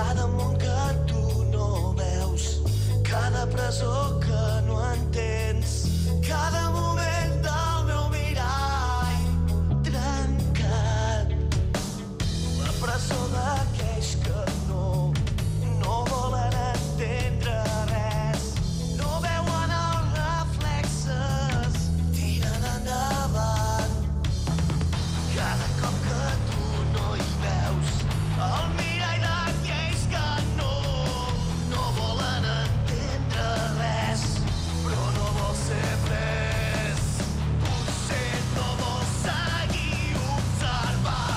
cada món que tu no veus, cada presó que no entens, cada moment del meu mirall trencat, la presó d'aquells que no volen entendre res, no veuen els reflexes, tiren endavant. Cada cop que tu no hi veus el mirall d'aquells que no volen entendre res, però no vol ser pres, potser no vol seguir observant.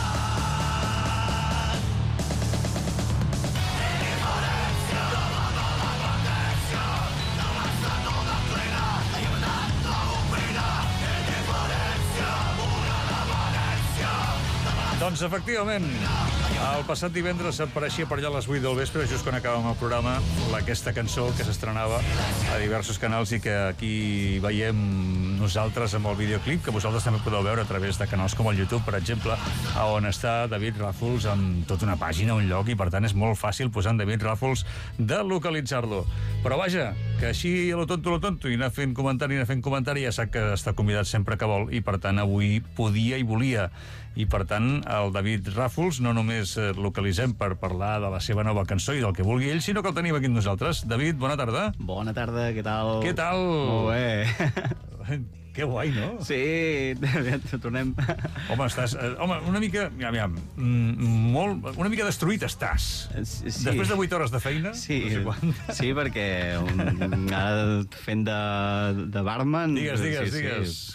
Indiferència de la dependència, de l'estat no de plena llibertat l'opina. Indiferència, una depenència. Doncs efectivament, el passat divendres apareixia per allà a les 8 del vespre, just quan acabàvem el programa, aquesta cançó que s'estrenava a diversos canals i que aquí veiem nosaltres amb el videoclip, que vosaltres també podeu veure a través de canals com el YouTube, per exemple, on està David Ràfols amb tota una pàgina, un lloc, i per tant és molt fàcil posar en David Ràfols de localitzar-lo. Però vaja, que així a lo tonto, i anar fent comentari, ja sap que està convidat sempre que vol, i per tant avui podia i volia. I per tant, el David Ràfols no només localitzem per parlar de la seva nova cançó i del que vulgui ell, sinó que el tenim aquí amb nosaltres. David, bona tarda. Bona tarda, què tal? Què tal? Molt bé. Que guai, no? Sí, tornem... Home, estàs... una mica... una mica destruït estàs. Sí. Després de 8 hores de feina? Sí, no sé sí, perquè ara fent de barman... Digues.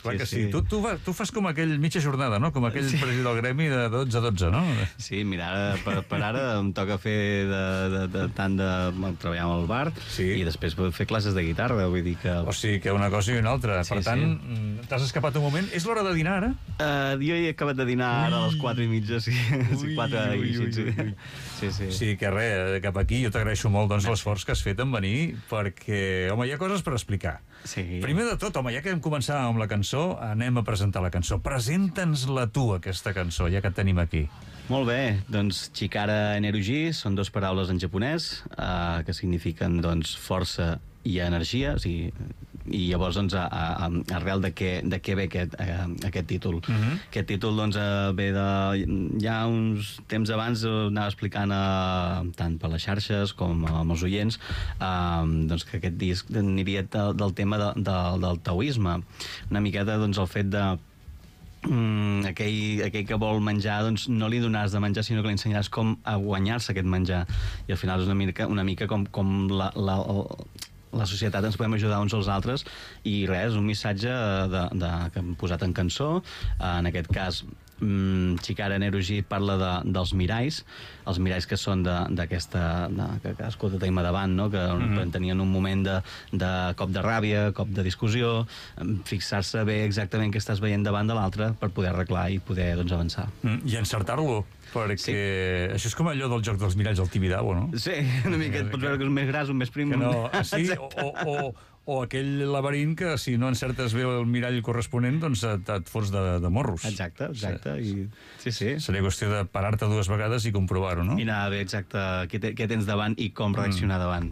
Clar que sí. Tu fas com aquell mitja jornada, no? Com aquell president del gremi de 12 a 12, no? Sí, mira, per ara em toca fer tant de treballar amb el bar i després fer classes de guitarra, vull dir que... O sigui, que una cosa i una altra. Per tant, t'has escapat un moment. És l'hora de dinar, ara? Jo he acabat de dinar ara a les 4:30, sí. 4:00. Sí, que res, cap aquí jo t'agraeixo molt l'esforç que has fet en venir, perquè, home, hi ha coses per explicar. Sí. Primer de tot, home, ja que vam començar amb la cançó, anem a presentar la cançó. Presenta'ns-la tu, aquesta cançó, ja que et tenim aquí. Molt bé, doncs Chikara Energy són dues paraules en japonès que signifiquen doncs força i energia, o sigui, i llavors doncs arrel de què ve aquest títol. Aquest títol doncs ve de ja uns temps abans anava explicant tant per les xarxes com amb els oients doncs que aquest disc aniria del tema del taoisme, una miqueta doncs el fet de aquell que vol menjar doncs no li donaràs de menjar sinó que li ensenyaràs com a guanyar-se aquest menjar, i al final és una mica com la societat ens podem ajudar uns als altres, i res, un missatge que hem posat en cançó. En aquest cas Chikara Energy parla dels miralls, els miralls que són d'aquesta que cadascú tenim davant, no? Que tenien un moment de cop de ràbia, cop de discussió, fixar-se bé exactament què estàs veient davant de l'altre per poder arreglar i poder doncs avançar. I encertar-lo, perquè això és com allò del joc dels miralls al Tibidabo, no? Sí, una mica et pots veure que és un més gras, un més prim. Que no, sí, o aquell laberint que si no encertes bé el mirall corresponent doncs et fots de morros. Exacte. Sí. Seria qüestió de parar-te 2 vegades i comprovar-ho, no? I anar bé exacte què tens davant i com reaccionar davant.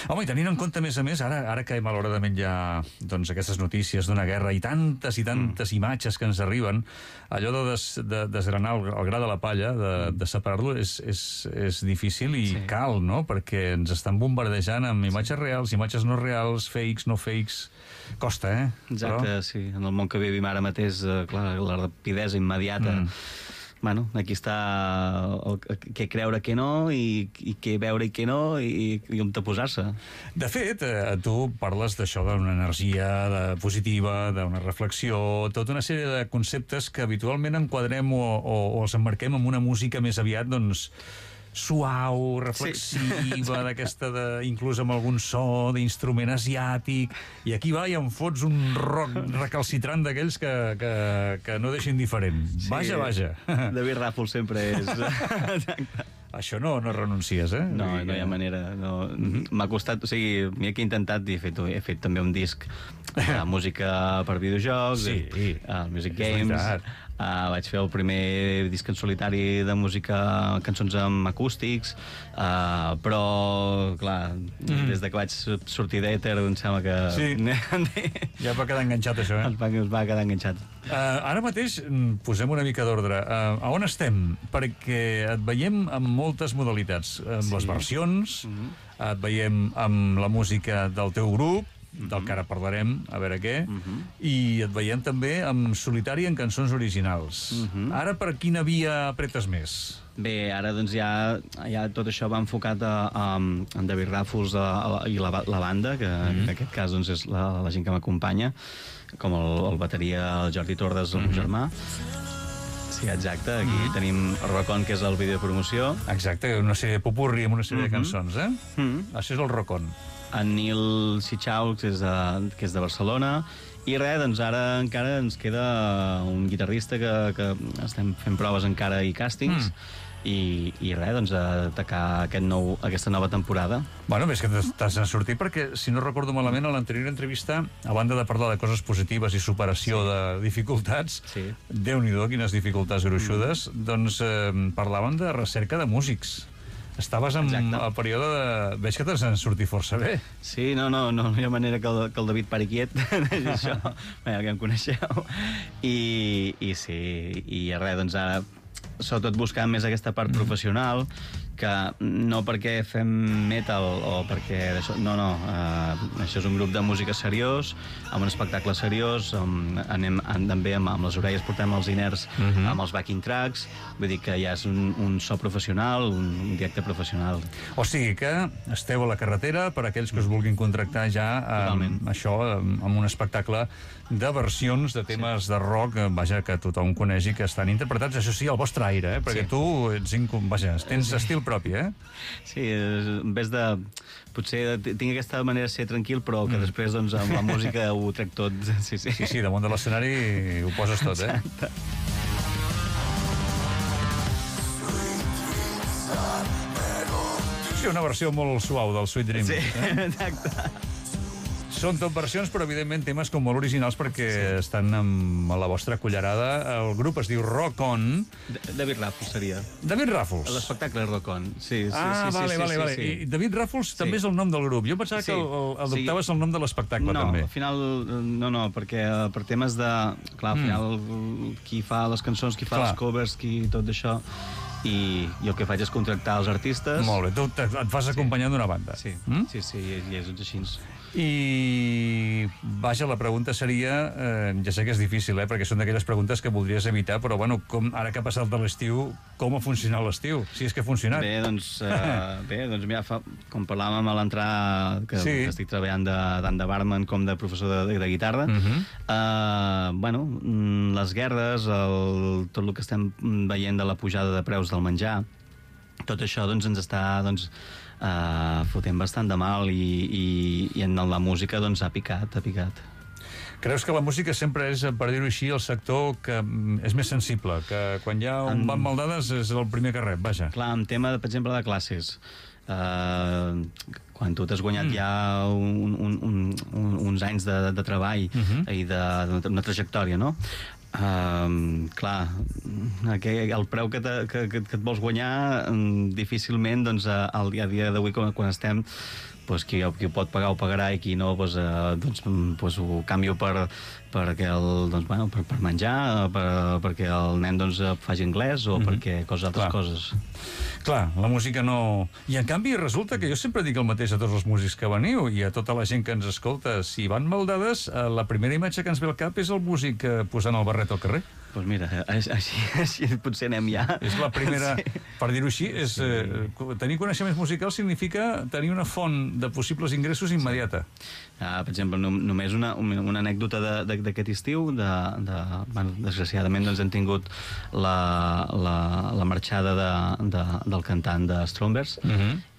Home, i tenint en compte, a més, ara que malauradament hi ha doncs, aquestes notícies d'una guerra i tantes imatges que ens arriben, allò de desgranar el gra de la palla, de separar-lo, és difícil i cal, no? Perquè ens estan bombardejant amb imatges reals, imatges no reals, fakes, no fakes, costa, Exacte, però... sí, en el món que vivim ara mateix, clar, la rapidesa immediata, bueno, aquí està què creure, què no, i què veure i què no, i on te posar-se. De fet, tu parles d'això, d'una energia positiva, d'una reflexió, tota una sèrie de conceptes que habitualment enquadrem o els emmarquem amb una música més aviat, doncs, suau, reflexiva, d'aquesta inclús amb algun so d'instrument asiàtic, i aquí va i em fots un rock recalcitrant d'aquells que no deixin diferent. Vaja. David Ràfols sempre és... Això no renuncies, No hi ha manera. M'ha costat, o sigui, m'he intentat, he fet també un disc de música per videojocs, Music Games, Vaig fer el primer disc en solitari de música, cançons amb acústics, però, clar, des de que vaig sortir d'Èter, em sembla que... Sí, ja va quedar enganxat, això, eh? Es va quedar enganxat. Ara mateix posem una mica d'ordre. A on estem? Perquè et veiem amb moltes modalitats. Amb les versions, et veiem amb la música del teu grup, del que ara parlarem, a veure què, i et veiem també amb solitari en cançons originals. Ara per quina via apretes més? Bé, ara doncs ja tot això va enfocat en David Ràfols i la banda, que en aquest cas doncs, és la gent que m'acompanya, com el bateria, el Jordi Tordes, el meu germà. Sí, exacte. Aquí tenim el Rocon, que és el vídeo de promoció. Exacte, una sèrie de popurri amb una sèrie de cançons, eh? Això és el Rocon. En Nil Sichau, que és de Barcelona. I res, doncs ara encara ens queda un guitarrista que estem fent proves encara i càstings. I res, doncs, atacar aquesta nova temporada. Bueno, més que t'has de sortir perquè, si no recordo malament, a l'anterior entrevista, a banda de parlar de coses positives i superació de dificultats, Déu-n'hi-do, quines dificultats gruixudes, doncs parlaven de recerca de músics. Estaves en el període de... Veig que t'has de sortir força bé. Sí, no hi ha manera que el David pari quiet, això, ja que em coneixeu. I sí, i res, doncs ara sobretot buscant més aquesta part professional, que no perquè fem metal o perquè... això és un grup de música seriós, amb un espectacle seriós, anem també amb les orelles, portem els iners amb els backing tracks, vull dir que ja és un so professional, un directe professional. O sigui que esteu a la carretera per aquells que us vulguin contractar ja això, amb un espectacle de versions de temes de rock, vaja, que tothom coneix i que estan interpretats, això sí, al vostre aire, perquè tu tens estil propi, eh? Sí, en vez de... Potser tinc aquesta manera de ser tranquil, però que després, doncs, amb la música ho trec tot. Sí, damunt de l'escenari ho poses tot, eh? Exacte. Sí, una versió molt suau del Sweet Dreams. Sí, exacte. Són tot versions, però evidentment temes com molt originals perquè estan amb la vostra cullerada. El grup es diu Rock On. David Ràfols seria. David Ràfols. L'espectacle és Rock On. Sí. Vale. I David Ràfols també és el nom del grup. Jo pensava que adoptaves el nom de l'espectacle, també. No, al final no, perquè per temes de... Clar, al final qui fa les cançons, qui fa els covers, qui tot això... I el que faig és contractar els artistes. Molt bé, tu et fas acompanyant d'una banda. Sí, i és així. I, vaja, la pregunta seria, ja sé que és difícil, perquè són d'aquelles preguntes que voldries evitar, però, bueno, ara que ha passat de l'estiu, com ha funcionat l'estiu? Si és que ha funcionat. Bé, doncs mira, com parlàvem a l'entrada, que estic treballant tant de barman com de professor de guitarra, bueno, les guerres, tot el que estem veient de la pujada de preus del menjar, tot això doncs, ens està fotent bastant de mal i en la música doncs, ha picat. Creus que la música sempre és, per dir-ho així, el sector que és més sensible, que quan hi ha un van mal dades és el primer que rep, vaja? Clar, en tema, per exemple, de classes, quan tu t'has guanyat ja uns anys de treball i d'una trajectòria, no? Clar, el preu que et vols guanyar difícilment a dia d'avui quan estem, qui ho pot pagar ho pagarà i qui no ho canvio per menjar, perquè el nen faci anglès o perquè altres coses. Clar, la música no... I en canvi resulta que jo sempre dic el mateix a tots els músics que veniu i a tota la gent que ens escolta. Si van mal dades, la primera imatge que ens ve al cap és el músic posant el barret al carrer. Doncs mira, així potser anem ja. És la primera, per dir-ho així, tenir coneixements musicals significa tenir una font de possibles ingressos immediata. Per exemple, només una anècdota d'aquest estiu, desgraciadament hem tingut la marxada del cantant de Strombers,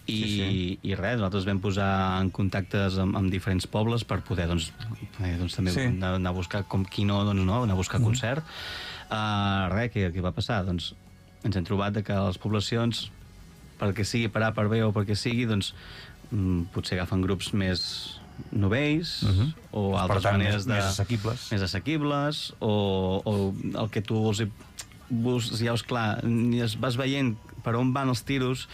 i res, nosaltres vam posar en contactes amb diferents pobles per poder també anar a buscar anar a buscar concert. Res, què va passar? Ens hem trobat que les poblacions, perquè sigui per A, per B o perquè sigui, potser agafen grups més novells, o altres tant, maneres de... més assequibles. o el que tu ja és clar, vas veient per on van els tiros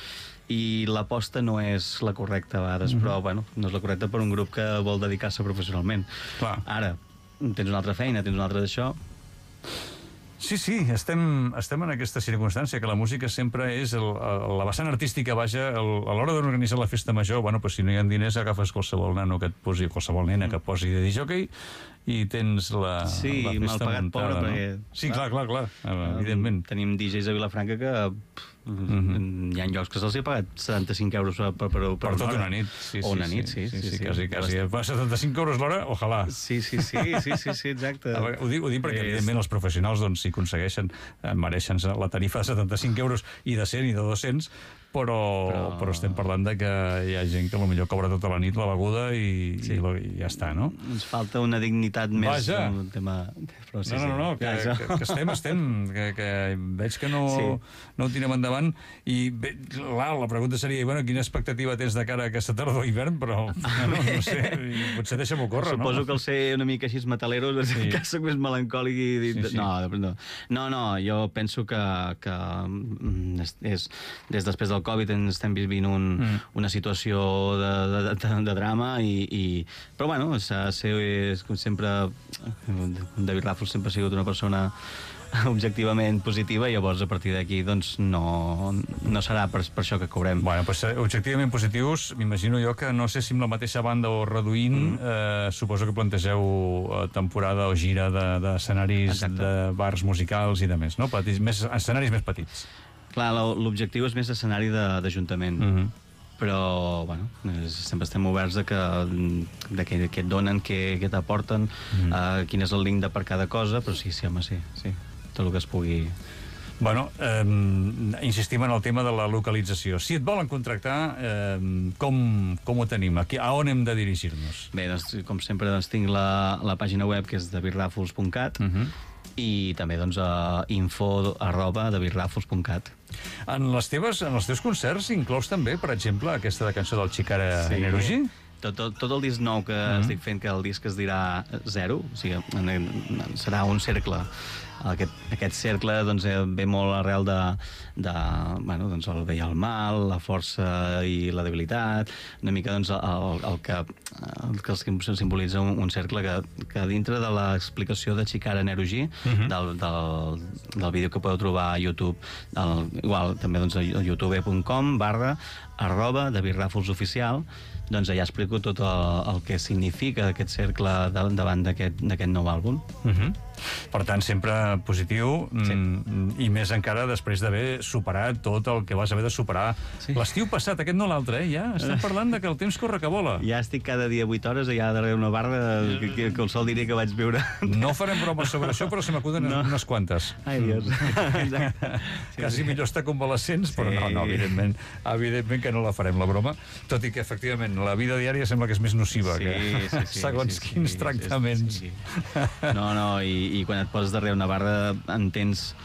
i l'aposta no és la correcta a vegades, però bueno, no és la correcta per un grup que vol dedicar-se professionalment. Clar. Ara, tens una altra feina, tens una altra d'això... Sí, estem en aquesta circumstància, que la música sempre és la vessant artística, vaja, a l'hora d'organitzar la festa major, bueno, pues si no hi ha diners, agafes qualsevol nano que et posi, qualsevol nena que et posi de disjockey i tens la festa mal pagat, muntada, pobre, no? perquè... Sí, clar, evidentment. Tenim DJs a Vilafranca que hi ha llocs que se'ls ha pagat 75 euros per tota una nit. O una nit, sí. Quasi. 75 euros l'hora, ojalà. Sí, exacte. Ho dic perquè, evidentment, els professionals, doncs, si aconsegueixen, mereixen la tarifa de 75 euros i de 100 i de 200, però estem parlant de que hi ha gent que potser cobra tota la nit la beguda i ja està, no? Ens falta una dignitat més... Vaja! Un tema... No, que estem, que veig que no ho tirem endavant i bé, la pregunta seria, bueno, quina expectativa tens de cara a aquesta tardor o hivern, però no sé, potser deixa'm-ho córrer, no? Suposo que el ser una mica així metalero que soc més melancòlic i... No, jo penso que és des després del Covid estem vivint una situació de drama però bueno, com sempre David Ràfols sempre ha sigut una persona objectivament positiva i llavors a partir d'aquí doncs no serà per això que cobrem. Bueno, pues, objectivament positius, m'imagino jo que no sé si amb la mateixa banda o reduint, suposo que plantegeu temporada o gira d'escenaris de bars musicals i de més, no? Escenaris més petits. Clar, l'objectiu és més escenari d'Ajuntament. Però, bueno, sempre estem oberts de què et donen, què t'aporten, quin és el link per cada cosa, però sí, home, sí, tot el que es pugui... Bueno, insistim en el tema de la localització. Si et volen contractar, com ho tenim? A on hem de dirigir-nos? Bé, doncs, com sempre, tinc la pàgina web, que és davidrafols.cat, i també info@davidrafols.cat. En els teus concerts inclous també, per exemple, aquesta de cançó del Chikara Energy? Tot el disc nou que estic fent, que el disc es dirà Zero, o sigui, serà un cercle. Aquest cercle doncs, ve molt arrel bueno, doncs, el bé i el mal, la força i la debilitat, una mica doncs, el que simbolitza un cercle que dintre de l'explicació de Chikara Energy, del vídeo que podeu trobar a YouTube, igual també doncs, a youtube.com/@davidrafolsoficial, doncs allà explico tot el que significa aquest cercle davant d'aquest nou àlbum. Per tant, sempre positiu, i més encara després d'haver superat tot el que vas haver de superar l'estiu passat, aquest no l'altre, ja estem parlant de que el temps corre que vola. Ja estic cada dia 8 hores allà darrere una barra que el sol diria que vaig viure. No farem bromes sobre això, però se m'acuden unes quantes. Ai, Dios. Quasi millor estar convalescents, però no, evidentment que no la farem, la broma, tot i que, efectivament, la vida diària sembla que és més nociva que segons quins tractaments. No, i quan et poses darrere una barra entens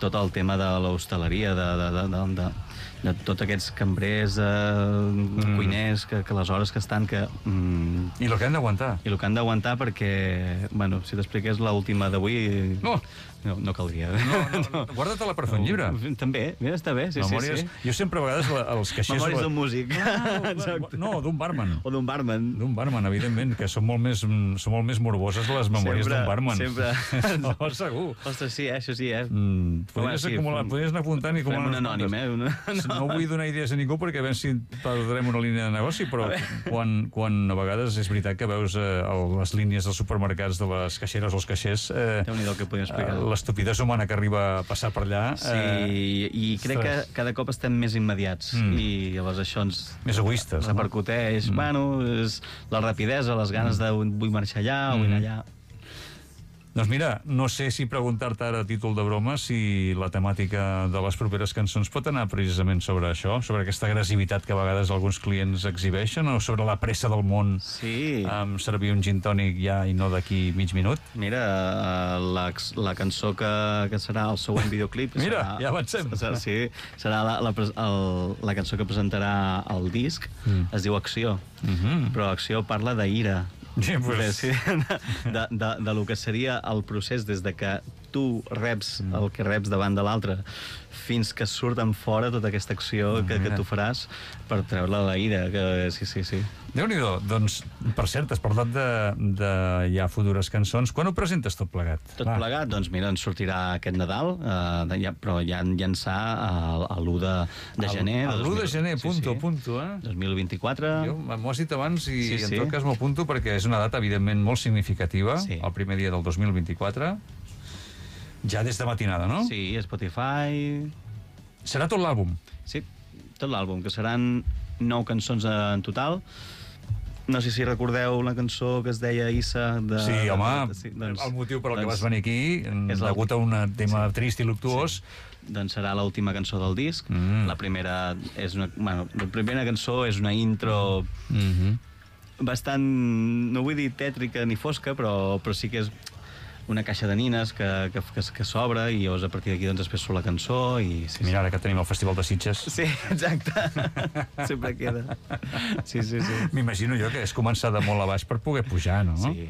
tot el tema de l'hostaleria, de tots aquests cambrers, cuiners, que les hores que estan... I el que han d'aguantar. I el que han d'aguantar perquè, bueno, si t'expliqués l'última d'avui... No caldria. No, guarda-te-la per fer un llibre. També, mira, està bé, sí. Jo sempre a vegades els caixers... Memòries d'un músic. No, d'un barman. O d'un barman. D'un barman, evidentment, que són molt més morboses les memòries d'un barman. Sempre. No, segur. Ostres, sí, això sí, Podries anar apuntant i acumulant... Fem un anònim, No vull donar idees a ningú perquè a veure si perdrem una línia de negoci, però quan a vegades és veritat que veus les línies dels supermercats de les caixeres o els caixers... Déu-n'hi-do el que podem explicar. L'estupidesa humana que arriba a passar per allà... Sí, i crec que cada cop estem més immediats i llavors això ens... Més egoistes. Repercuteix, bueno, és la rapidesa, les ganes de vull marxar allà o vull anar allà... Doncs mira, no sé si preguntar-te ara a títol de broma si la temàtica de les properes cançons pot anar precisament sobre això, sobre aquesta agressivitat que a vegades alguns clients exhibeixen, o sobre la pressa del món amb servir un gin tònic ja i no d'aquí mig minut. Mira, la cançó que serà el següent videoclip... Mira, ja avancem. Sí, serà la cançó que presentarà el disc, es diu Acció, però Acció parla d'ira. Sí, pues... de lo que seria el procés des de que tu reps el que reps davant de l'altre fins que surt en fora tota aquesta acció que tu faràs per treure la ira. Sí. Déu-n'hi-do. Doncs, per cert, has parlat de ja futures cançons. Quan ho presentes tot plegat? Tot plegat? Doncs mira, ens sortirà aquest Nadal, però ja llançar l'1 de gener. L'1 de gener, punto, 2024. Jo m'ho has dit abans i en tot cas m'ho apunto perquè és una data, evidentment, molt significativa, el primer dia del 2024. Ja des de matinada, no? Sí, Spotify... Serà tot l'àlbum? Sí, tot l'àlbum, que seran 9 cançons en total. No sé si recordeu la cançó que es deia Issa... Sí, home, el motiu per al que vas venir aquí, degut a un tema trist i luctuós... Doncs serà l'última cançó del disc. La primera és la primera cançó és una intro bastant, no vull dir tètrica ni fosca, però sí que és una caixa de nines que s'obre i llavors a partir d'aquí doncs després surt la cançó i... Mira, ara que tenim el Festival de Sitges. Sí, exacte. Sempre queda. Sí. M'imagino jo que és començar de molt a baix per poder pujar, no? Sí.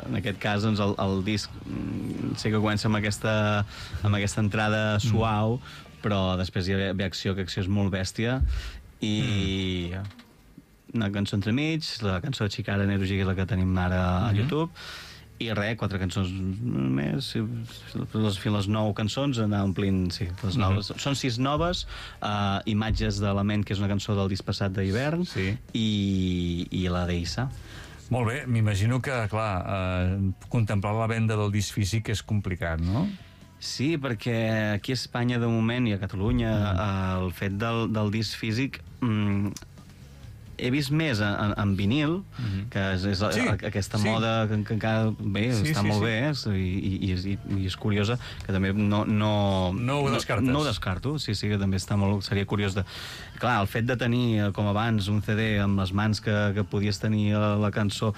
En aquest cas, doncs, el disc sé que comença amb aquesta entrada suau, però després hi ve Acció, que Acció és molt bèstia, i una cançó entremig, la cançó de Chikara Nerugi, que és la que tenim ara a YouTube, i res, 4 cançons més, les 9 cançons, anar omplint, les noves. Són 6 noves, Imatges de la ment, que és una cançó del disc passat d'hivern, i la d'Issa. Molt bé, m'imagino que, clar, contemplar la venda del disc físic és complicat, no? Sí, perquè aquí a Espanya, de moment, i a Catalunya, el fet del disc físic... He vist més en vinil, que és aquesta moda que encara està molt bé, i és curiosa, que també no ho descartes. No ho descarto, sí, que també seria curiós de... Clar, el fet de tenir, com abans, un CD amb les mans que podies tenir la cançó,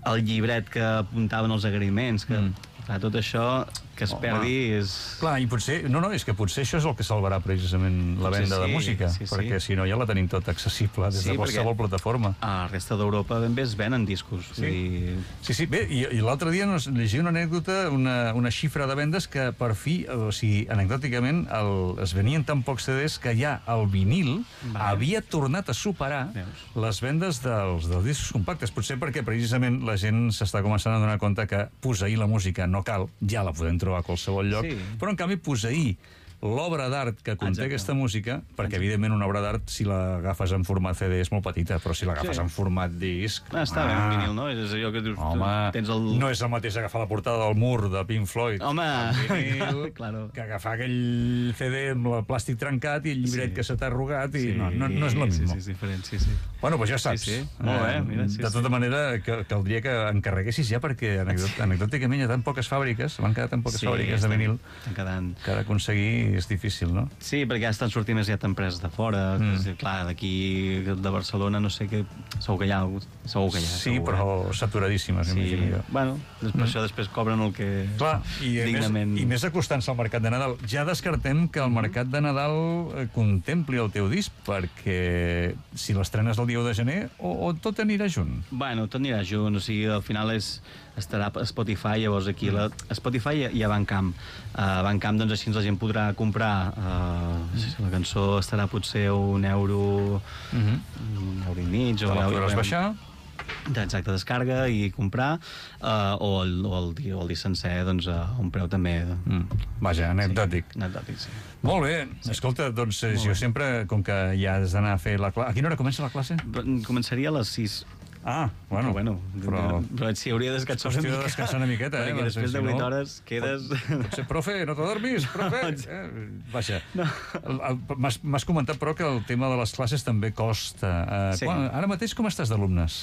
el llibret que apuntaven els agraïments, que... Clar, tot això que es perdi és... Clar, i potser... No, és que potser això és el que salvarà precisament la venda de música, perquè si no ja la tenim tot accessible des de qualsevol plataforma. A la resta d'Europa ben bé es venen discos. Sí, bé, i l'altre dia llegia una anècdota, una xifra de vendes que per fi, o sigui, anecdòticament, es venien tan pocs CDs que ja el vinil havia tornat a superar les vendes dels discos compactes. Potser perquè precisament la gent s'està començant a donar compte que posseir la música no cal, ja la podem trobar a qualsevol lloc, però en canvi posseir l'obra d'art que conté aquesta música, perquè evidentment una obra d'art, si l'agafes en format CD és molt petita, però si l'agafes en format disc... Està bé, en vinil, no? És allò que dius... Home, no és el mateix agafar la portada del Mur de Pink Floyd en vinil que agafar aquell CD amb el plàstic trencat i el llibret que se t'ha arrugat i no és el mismo. Sí, és diferent, sí. Bueno, doncs ja saps. Molt bé, mira, de tota manera, caldria que encarreguessis ja, perquè anecdòticament hi ha tan poques fàbriques, van quedar tan poques fàbriques de vinil que d'aconseguir és difícil, no? Sí, perquè ja estan sortint més empreses de fora. Clar, d'aquí, de Barcelona, no sé què... Segur que hi ha. Sí, però saturadíssimes, m'imagino jo. Bueno, per això després cobren el que... Clar, i més acostant-se al mercat de Nadal. Ja descartem que el mercat de Nadal contempli el teu disc, perquè si l'estrenes el dia 1 de gener, o tot anirà junt? Bueno, tot anirà junt, o sigui, al final estarà a Spotify, llavors aquí a Spotify hi ha Bandcamp. Bandcamp, doncs així la gent podrà comprar. La cançó estarà potser €1, €1,50. Te la podràs baixar? Exacte, descarga i comprar, o el disc sencer, doncs, a un preu també... Vaja, anecdòtic. Anecdòtic, sí. Molt bé. Escolta, doncs jo sempre, com que ja has d'anar a fer la classe... A quina hora comença la classe? Començaria a les 6. Bueno, però sí, hauria de descansar una mica. Hauria de descansar una miqueta, perquè després de 8 hores quedes... Potser, profe, no te dormis, profe! Vaja, m'has comentat, però, que el tema de les classes també costa. Ara mateix com estàs d'alumnes?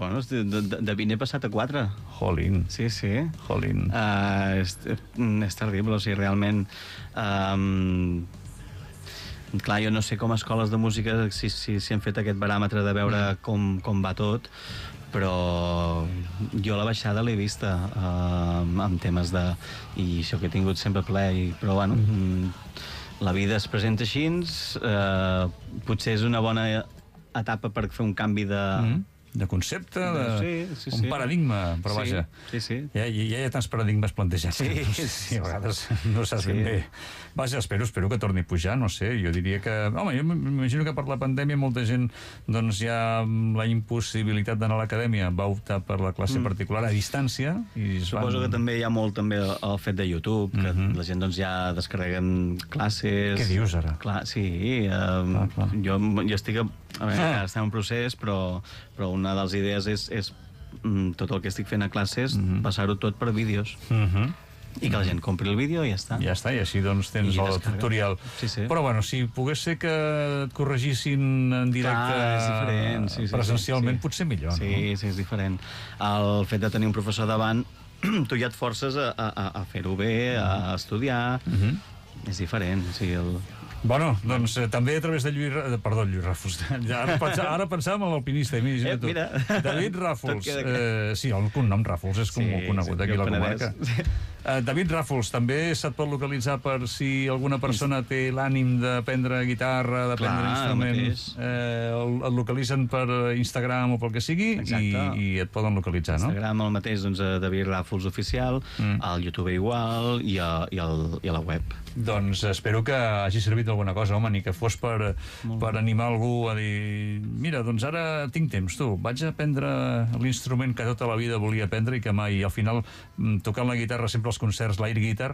Bueno, de 20 he passat a 4. Jolín. Sí. Jolín. És terrible, o sigui, realment... Clar, jo no sé com a escoles de música si han fet aquest baròmetre de veure com va tot, però jo la baixada l'he vista amb temes de... I això que he tingut sempre ple, però bueno, la vida es presenta així, potser és una bona etapa per fer un canvi de concepte, un paradigma, però vaja. Sí. Ja hi ha tants paradigmes plantejats. Sí, a vegades no saps ben bé. Vaja, espero que torni a pujar, no sé, jo diria que... Home, jo m'imagino que per la pandèmia molta gent, doncs hi ha la impossibilitat d'anar a l'acadèmia, va optar per la classe particular a distància. Suposo que també hi ha molt també el fet de YouTube, que la gent doncs ja descarreguen classes... Què dius ara? Clar, sí, jo estic... A veure, estem en procés, però una de les idees és tot el que estic fent a classes, passar-ho tot per vídeos. I que la gent compri el vídeo i ja està. Ja està, i així doncs tens el tutorial. Sí. Però bueno, si pogués ser que et corregissin en directe presencialment, potser millor, no? Sí, és diferent. El fet de tenir un professor davant, tu ja et forces a fer-ho bé, a estudiar... És diferent, sí, Bueno, doncs també a través de Lluís Ràfols. Ara pensàvem en l'alpinista. Mira. David Ràfols. Sí, el cognom Ràfols és com conegut aquí a la comarca. David Ràfols, també se't pot localitzar per si alguna persona té l'ànim d'aprendre guitarra, d'aprendre instrument. Et localitzen per Instagram o pel que sigui i et poden localitzar, no? Instagram el mateix, doncs, David Ràfols Oficial, al YouTube igual i a la web. Doncs espero que hagi servit d'alguna cosa, home, ni que fos per animar algú a dir mira, doncs ara tinc temps, tu, vaig a aprendre l'instrument que tota la vida volia aprendre i que mai, al final, tocant la guitarra sempre als concerts, l'air guitar,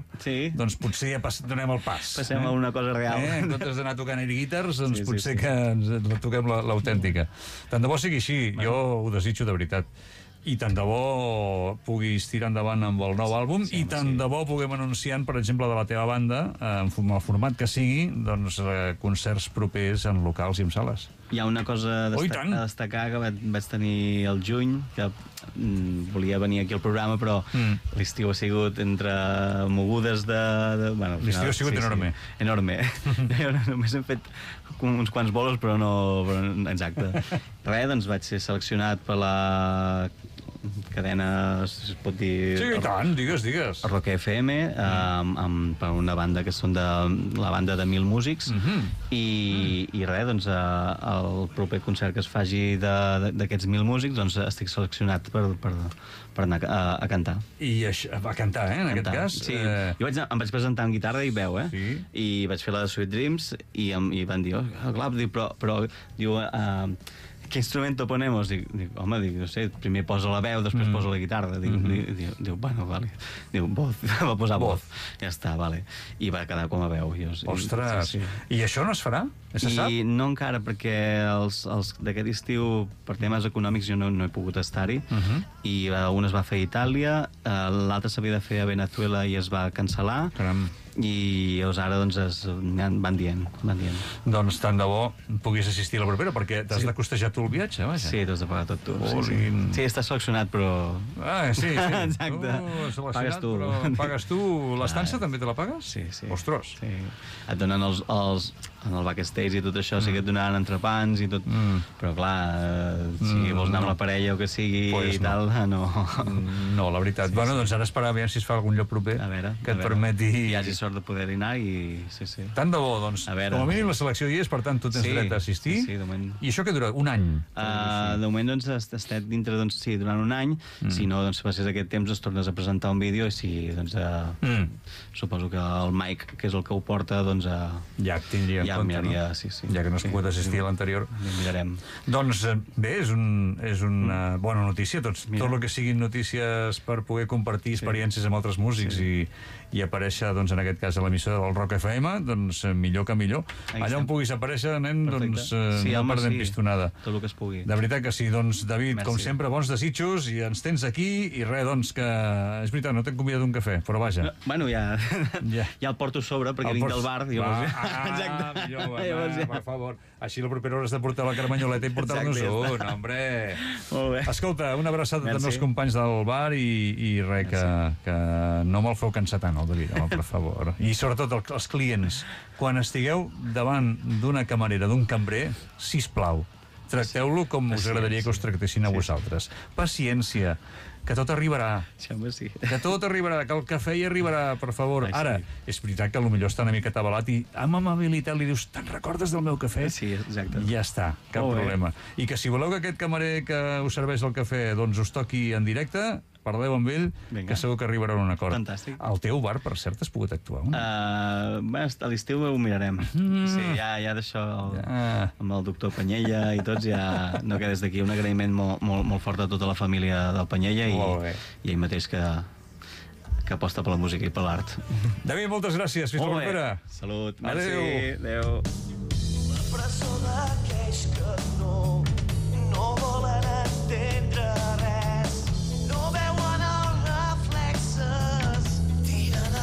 doncs potser ja donem el pas. Passem a una cosa real. En comptes d'anar tocant air guitars, doncs potser que ens toquem l'autèntica. Tant de bo sigui així, jo ho desitjo de veritat. I tant de bo puguis tirar endavant amb el nou àlbum i tant de bo puguem anunciar, per exemple, de la teva banda, en el format que sigui, doncs concerts propers en locals i en sales. Hi ha una cosa a destacar que vaig tenir el juny, que volia venir aquí al programa, però l'estiu ha sigut entre mogudes de... L'estiu ha sigut enorme. Enorme. Només hem fet uns quants bolos, però no... Exacte. Res, doncs vaig ser seleccionat per la cadena, si es pot dir... Sí, i tant, digues. Rock FM, per una banda que són de la banda de 1000 músics, i res, doncs, el proper concert que es faci d'aquests 1000 músics, doncs estic seleccionat per anar a cantar. I a cantar, en aquest cas? Sí, jo em vaig presentar amb guitarra i veu, i vaig fer la de Sweet Dreams, i van dir, clar, però diu... ¿Qué instrumento ponemos? Home, no sé, primer posa la veu, després posa la guitarra. Diu, bueno, vale. Diu, voz, va posar voz. Ja està, vale. I va quedar com a veu. Ostres! I això no es farà? Se sap? I no encara, perquè els d'aquest estiu, per temes econòmics, jo no he pogut estar-hi. I un es va fer a Itàlia, l'altre s'havia de fer a Venezuela i es va cancel·lar. Caram. I llavors ara doncs van dient. Doncs tant de bo puguis assistir a la propera, perquè t'has de costejar tu el viatge, vaja. Sí, t'has de pagar tot tu. Sí, estàs seleccionat, però... Sí. Exacte. Pagues tu. Pagues tu. L'estança també te la pagues? Sí. Ostres. Sí. Et donen en el backstage i tot això, sí que et donaran entrepans i tot, però clar, si vols anar amb la parella o que sigui i tal, no. No, la veritat. Bueno, doncs ara esperar a veure si es fa algun lloc proper que et permeti... Hi hagi sort de poder-hi anar i... Sí. Tant de bo, doncs, com a mínim la selecció hi és, per tant, tu tens dret a assistir. Sí, de moment. I això què dura? Un any? De moment, doncs, estem dintre, doncs, sí, durant un any. Si no, doncs, si passes aquest temps, es tornes a presentar un vídeo i si, doncs, suposo que el Mike, que és el que ho porta, doncs... Ja tindria en compte, no? Sí. Ja que no has pogut assistir a l'anterior. Mirarem. Doncs bé, és una bona notícia. Tot el que siguin notícies per poder compartir experiències amb altres músics i i aparèixer, doncs, en aquest cas, a l'emissora del Rock FM, doncs, millor que millor. Allà on puguis aparèixer, nen, doncs, no perdem pistonada. Tot el que es pugui. De veritat que sí. Doncs, David, Merci. com sempre, bons desitjos, i ens tens aquí, i res, doncs, que... És veritat, no t'hem convidat un cafè, però vaja. Bueno, ja el porto a sobre, perquè vinc del bar. Exacte. Millor, per favor. Així la propera hora has de portar la carmanyoleta i portar-nos un, hombre. Molt bé. Escolta, una abraçada també als companys del bar i res, que no me'l feu cansar tant, el David, home, per favor. I sobretot els clients, quan estigueu davant d'una camarera, d'un cambrer, sisplau, tracteu-lo com us agradaria que us tractessin a vosaltres. Paciència, que tot arribarà. Sí. Que tot arribarà, que el cafè hi arribarà, per favor. Ara, és veritat que potser està una mica atabalat i amb amabilitat li dius, te'n recordes del meu cafè? Sí, exacte. Ja està, cap problema. I que si voleu que aquest camarer que us serveix el cafè doncs us toqui en directe, parleu amb ell, que segur que arribarà a un acord. Fantàstic. Al teu bar, per cert, has pogut actuar? A l'estiu ho mirarem. Sí, ja d'això, amb el doctor Panyella i tots, ja no queda des d'aquí un agraïment molt fort a tota la família del Panyella i ell mateix que aposta per la música i per l'art. David, moltes gràcies. Fins la propera. Salut. Merci. Adéu.